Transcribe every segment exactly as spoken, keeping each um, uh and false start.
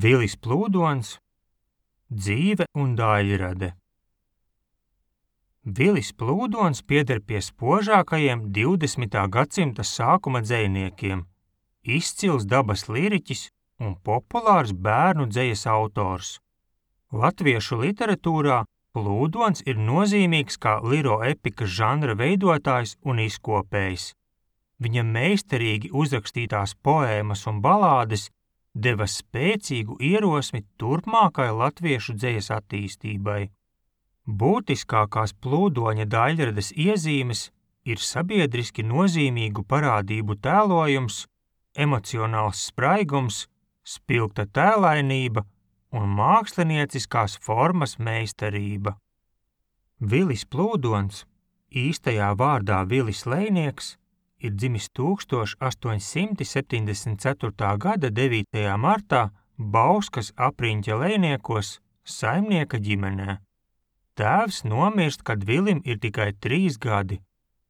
Vilis Plūdons, dzīve un daļrade. Vilis Plūdons pieder pie spožākajiem divdesmitā gadsimta sākuma dzejniekiem, izcils dabas liriķis un populārs bērnu dzejas autors. Latviešu literatūrā Plūdons ir nozīmīgs kā liroepikas žanra veidotājs un izkopējs. Viņa meistarīgi uzrakstītās poēmas un balādes deva spēcīgu ierosmi turpmākai latviešu dzejas attīstībai. Būtiskākās Plūdoņa daļrades iezīmes ir sabiedriski nozīmīgu parādību tēlojums, emocionāls spraigums, spilgta tēlainība un mākslinieciskās formas meistarība. Vilis Plūdons, īstajā vārdā Vilis Lejnieks, ir dzimis tūkstoš astoņsimt septiņdesmit ceturtā gada devītajā martā Bauskas apriņķa Lejniekos saimnieka ģimenē. Tēvs nomirst, kad Vilim ir tikai trīs gadi,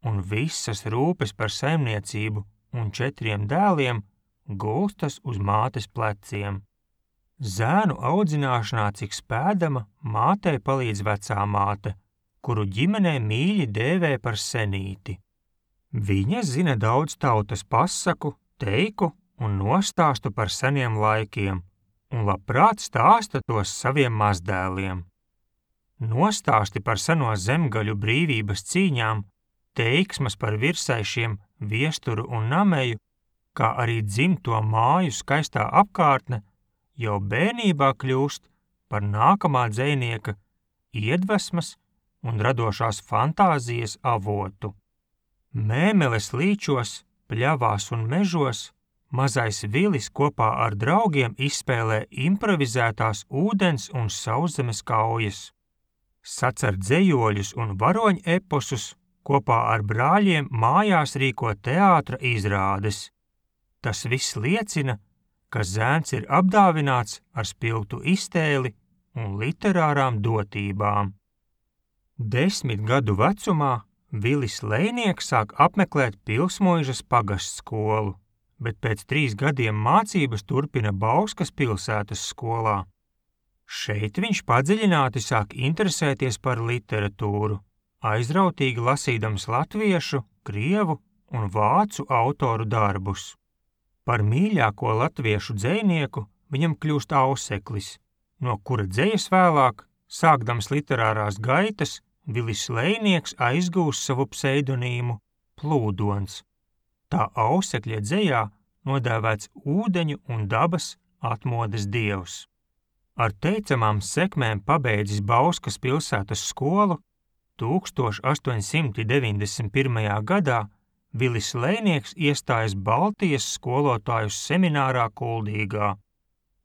un visas rūpes par saimniecību un četriem dēliem gulstas uz mātes pleciem. Zēnu audzināšanā cik spēdama mātei palīdz vecā māte, kuru ģimenē mīļi dēvē par senīti. Viņa zina daudz tautas pasaku, teiku un nostāstu par seniem laikiem, un labprāt stāsta tos saviem mazdēliem. Nostāsti par seno zemgaļu brīvības cīņām, teiksmas par virsaišiem, viesturu un nameju, kā arī dzimto māju skaistā apkārtne, jau bērnībā kļūst par nākamā dzejnieka iedvesmas un radošās fantāzijas avotu. Mēmeles līčos, pļavās un mežos mazais Vilis kopā ar draugiem izspēlē improvizētās ūdens un sauszemes kaujas. Sacer dzejoļus un varoņu eposus, kopā ar brāļiem mājās rīko teātra izrādes. Tas viss liecina, ka zēns ir apdāvināts ar spilgtu iztēli un literārām dotībām. Desmit gadu vecumā Vilis Lejnieks sāk apmeklēt Pilsmuižas pagastskolu, bet pēc trīs gadiem mācības turpina Bauskas pilsētas skolā. Šeit viņš padziļināti sāk interesēties par literatūru, aizrautīgi lasīdams latviešu, krievu un vācu autoru darbus. Par mīļāko latviešu dzejnieku viņam kļūst Auseklis, no kura dzejas vēlāk, sākdams literārās gaitas, Vilis Lejnieks aizgūs savu pseidonīmu Plūdons. Tā Ausekļa dzejā nodēvēts ūdeņu un dabas atmodas dievs. Ar teicamām sekmēm pabeidzis Bauskas pilsētas skolu, tūkstoš astoņsimt deviņdesmit pirmajā gadā Vilis Lejnieks iestājas Baltijas skolotāju seminārā Kuldīgā.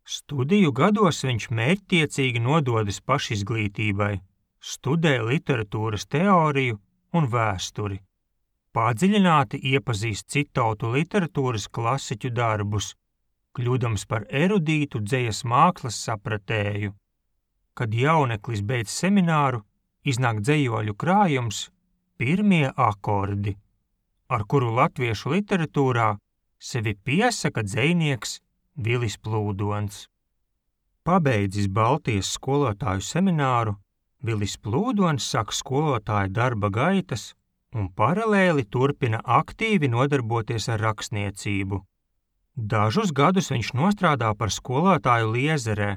Studiju gados viņš mērķtiecīgi nododas pašizglītībai, studē literatūras teoriju un vēsturi. Padziļināti iepazīst citautu literatūras klasiķu darbus, kļūdams par erudītu dzejas mākslas sapratēju. Kad jauneklis beidz semināru, iznāk dzejoļu krājums Pirmie akordi, ar kuru latviešu literatūrā sevi piesaka dzejnieks Vilis Plūdons. Pabeidzis Baltijas skolotāju semināru, Vilis Plūdons sāk skolotāja darba gaitas un paralēli turpina aktīvi nodarboties ar rakstniecību. Dažus gadus viņš nostrādā par skolotāju Liezerē,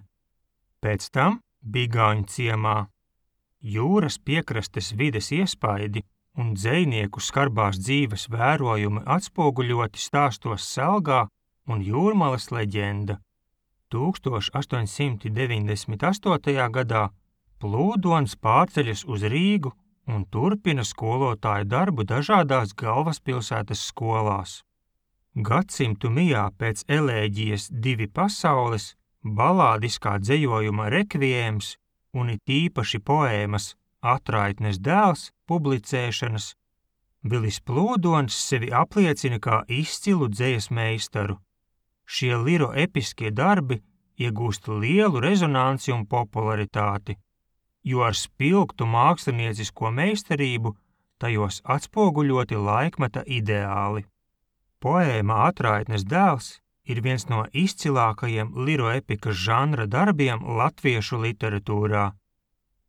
pēc tam Bigāņu ciemā. Jūras piekrastes vides iespaidi un dzejnieku skarbās dzīves vērojumi atspoguļoti stāstos Selgā un Jūrmalas leģenda. tūkstoš astoņsimt deviņdesmit astotajā gadā Plūdons pārceļas uz Rīgu un turpina skolotāju darbu dažādās galvaspilsētas skolās. Gadsimtu mijā pēc elēģijas Divi pasaules, balādiskā dzejojuma rekviēms un it īpaši poēmas Atraitnes dēls publicēšanas, Vilis Plūdons sevi apliecina kā izcilu dzejas meistaru. Šie liroepiskie darbi iegūst lielu rezonanci un popularitāti, jo ar spilgtu māksliniecisko meistarību tajos atspoguļoti laikmeta ideāli. Poēma Atraitnes dēls ir viens no izcilākajiem liroepikas žanra darbiem latviešu literatūrā.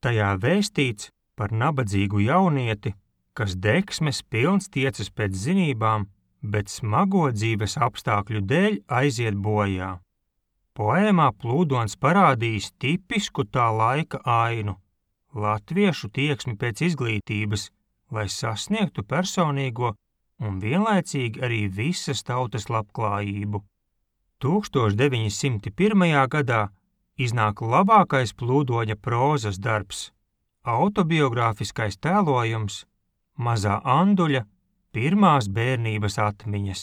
Tajā vēstīts par nabadzīgu jaunieti, kas degsmes pilns tiecas pēc zinībām, bet smago dzīves apstākļu dēļ aiziet bojā. Poēmā Plūdons parādījis tipisku tā laika ainu, latviešu tieksmi pēc izglītības, lai sasniegtu personīgo un vienlaicīgi arī visas tautas labklājību. tūkstoš deviņi simti pirmajā gadā iznāk labākais Plūdoņa prózas darbs, autobiogrāfiskais tēlojums Mazā Anduļa pirmās bērnības atmiņas.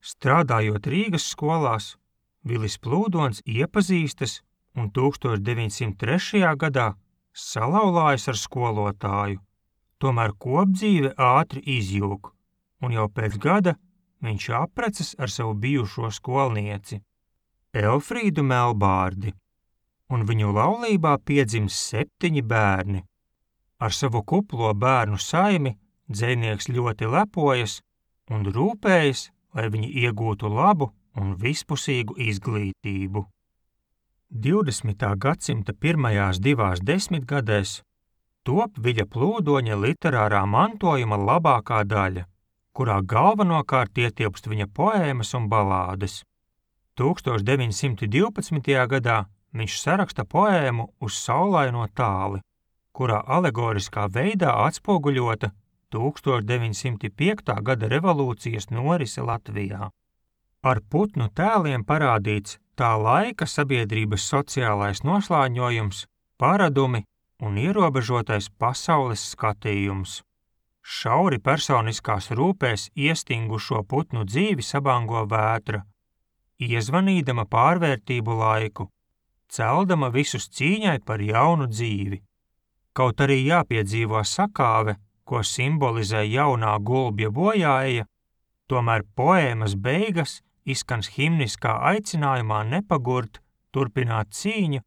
Strādājot Rīgas skolās, Vilis Plūdons iepazīstas un tūkstoš deviņi simti trešajā gadā salauzājas ar skolotāju, tomēr kopdzīve ātri izjūg, un jau pēc gada viņš apprecas ar savu bijušo skolnieci, Elfrīdu Melbārdi, un viņu laulībā piedzims septiņi bērni. Ar savu kuplo bērnu saimi dzejnieks ļoti lepojas un rūpējas, lai viņi iegūtu labu un vispusīgu izglītību. divdesmitā gadsimta pirmajās divās desmitgadēs top Viļa Plūdoņa literārā mantojuma labākā daļa, kurā galvenokārt ietilpst viņa poēmas un balādes. tūkstoš deviņi simti divpadsmitajā gadā viņš saraksta poēmu Uz saulaino tāli, kurā alegoriskā veidā atspoguļota tūkstoš deviņi simti piektā gada revolūcijas norise Latvijā. Ar putnu tēliem parādīts tā laika sabiedrības sociālais noslāņojums, paradumi un ierobežotais pasaules skatījums. Šauri personiskās rūpēs iestingušo putnu dzīvi sabango vētra, iezvanīdama pārvērtību laiku, celdama visus cīņai par jaunu dzīvi. Kaut arī jāpiedzīvo sakāve, ko simbolizē jaunā gulbja bojāeja, tomēr poēmas beigas izskans himniskā aicinājumā nepagurt, turpināt cīņu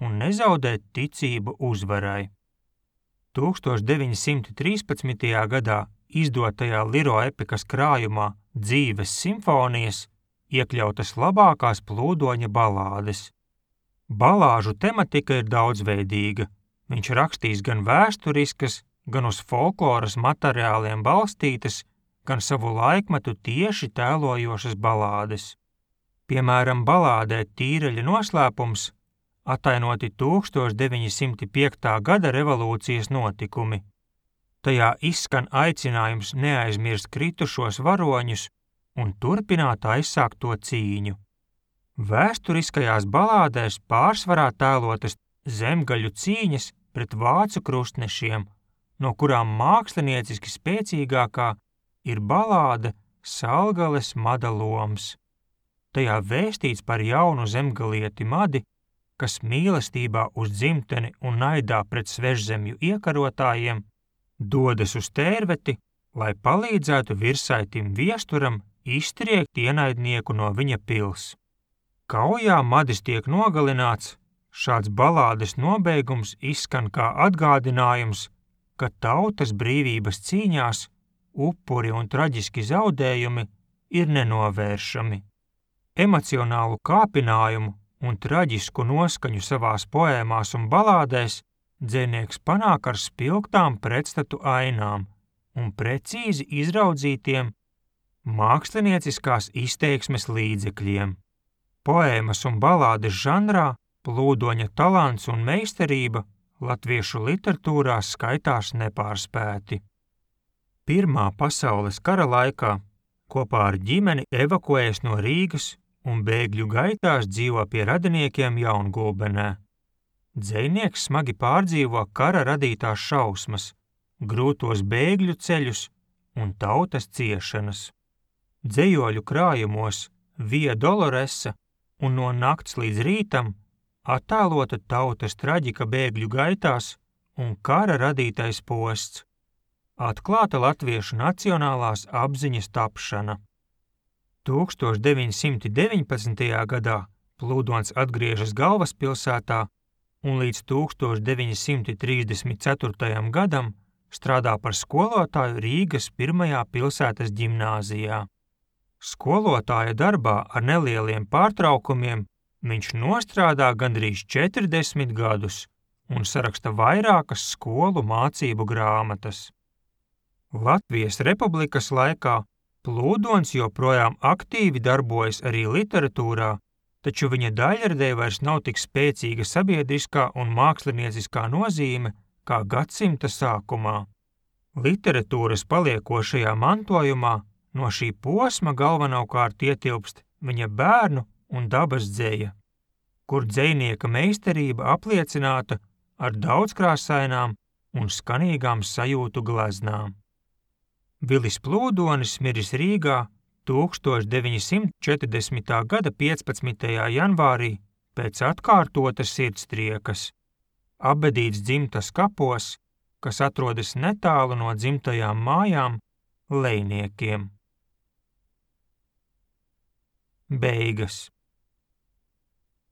un nezaudēt ticību uzvarai. tūkstoš deviņi simti trīspadsmitajā gadā izdotajā liroepikas krājumā Dzīves simfonijas iekļautas labākās Plūdoņa balādes. Balāžu tematika ir daudzveidīga. Viņš rakstīs gan vēsturiskas, gan uz folkloras materiāliem balstītas, gan savu laikmetu tieši tēlojošas balādes. Piemēram, balādē Tīreļa noslēpums atainoti tūkstoš deviņi simti piektā gada revolūcijas notikumi. Tajā izskan aicinājums neaizmirst kritušos varoņus un turpināt aizsākto cīņu. Vēsturiskajās balādēs pārsvarā tēlotas zemgaļu cīņas pret vācu krustnešiem, no kurām mākslinieciski spēcīgākā ir balāde Salgales Mada Loms. Tajā vēstīts par jaunu zemgalieti Madi, kas mīlestībā uz dzimteni un naidā pret svežzemju iekarotājiem dodas uz Tērveti, lai palīdzētu virsaitim Viesturam iztriekt ienaidnieku no viņa pils. Kaujā Madis tiek nogalināts, šāds balādes nobeigums izskan kā atgādinājums, ka tautas brīvības cīņās upuri un traģiski zaudējumi ir nenovēršami. Emocionālu kāpinājumu un traģisku noskaņu savās poēmās un balādēs dzejnieks panāk ar spilgtām pretstatu ainām un precīzi izraudzītiem mākslinieciskās izteiksmes līdzekļiem. Poēmas un balādes žanrā Plūdoņa talants un meistarība latviešu literatūrā skaitās nepārspēti. Pirmā pasaules kara laikā kopā ar ģimeni evakuējas no Rīgas un bēgļu gaitās dzīvo pie radiniekiem Jaungulbenē. Dzejnieks smagi pārdzīvo kara radītās šausmas, grūtos bēgļu ceļus un tautas ciešanas. Dzejoļu krājumos Via Doloresa un No nakts līdz rītam attēlota tautas traģika bēgļu gaitās un kara radītais posts, atklāta latviešu nacionālās apziņas tapšana. tūkstoš deviņi simti deviņpadsmitajā gadā Plūdons atgriežas galvaspilsētā un līdz tūkstoš deviņi simti trīsdesmit ceturtajam gadam strādā par skolotāju Rīgas pirmajā pilsētas ģimnāzijā. Skolotāja darbā ar nelieliem pārtraukumiem viņš nostrādā gandrīz četrdesmit gadus un saraksta vairākas skolu mācību grāmatas. Latvijas Republikas laikā Plūdons joprojām aktīvi darbojas arī literatūrā, taču viņa daļradei vairs nav tik spēcīga sabiedriskā un mākslinieciskā nozīme kā gadsimta sākumā. Literatūras paliekošajā mantojumā no šī posma galvenokārt ietilpst viņa bērnu un dabas dzeja, kur dzejnieka meistarība apliecināta ar daudzkrāsainām un skanīgām sajūtu gleznām. Vilis Plūdonis miris Rīgā tūkstoš deviņi simti četrdesmitā gada piecpadsmitajā janvārī pēc atkārtotas sirdstriekas, apbedīts dzimtas kapos, kas atrodas netālu no dzimtajām mājām Lejniekiem. Beigas.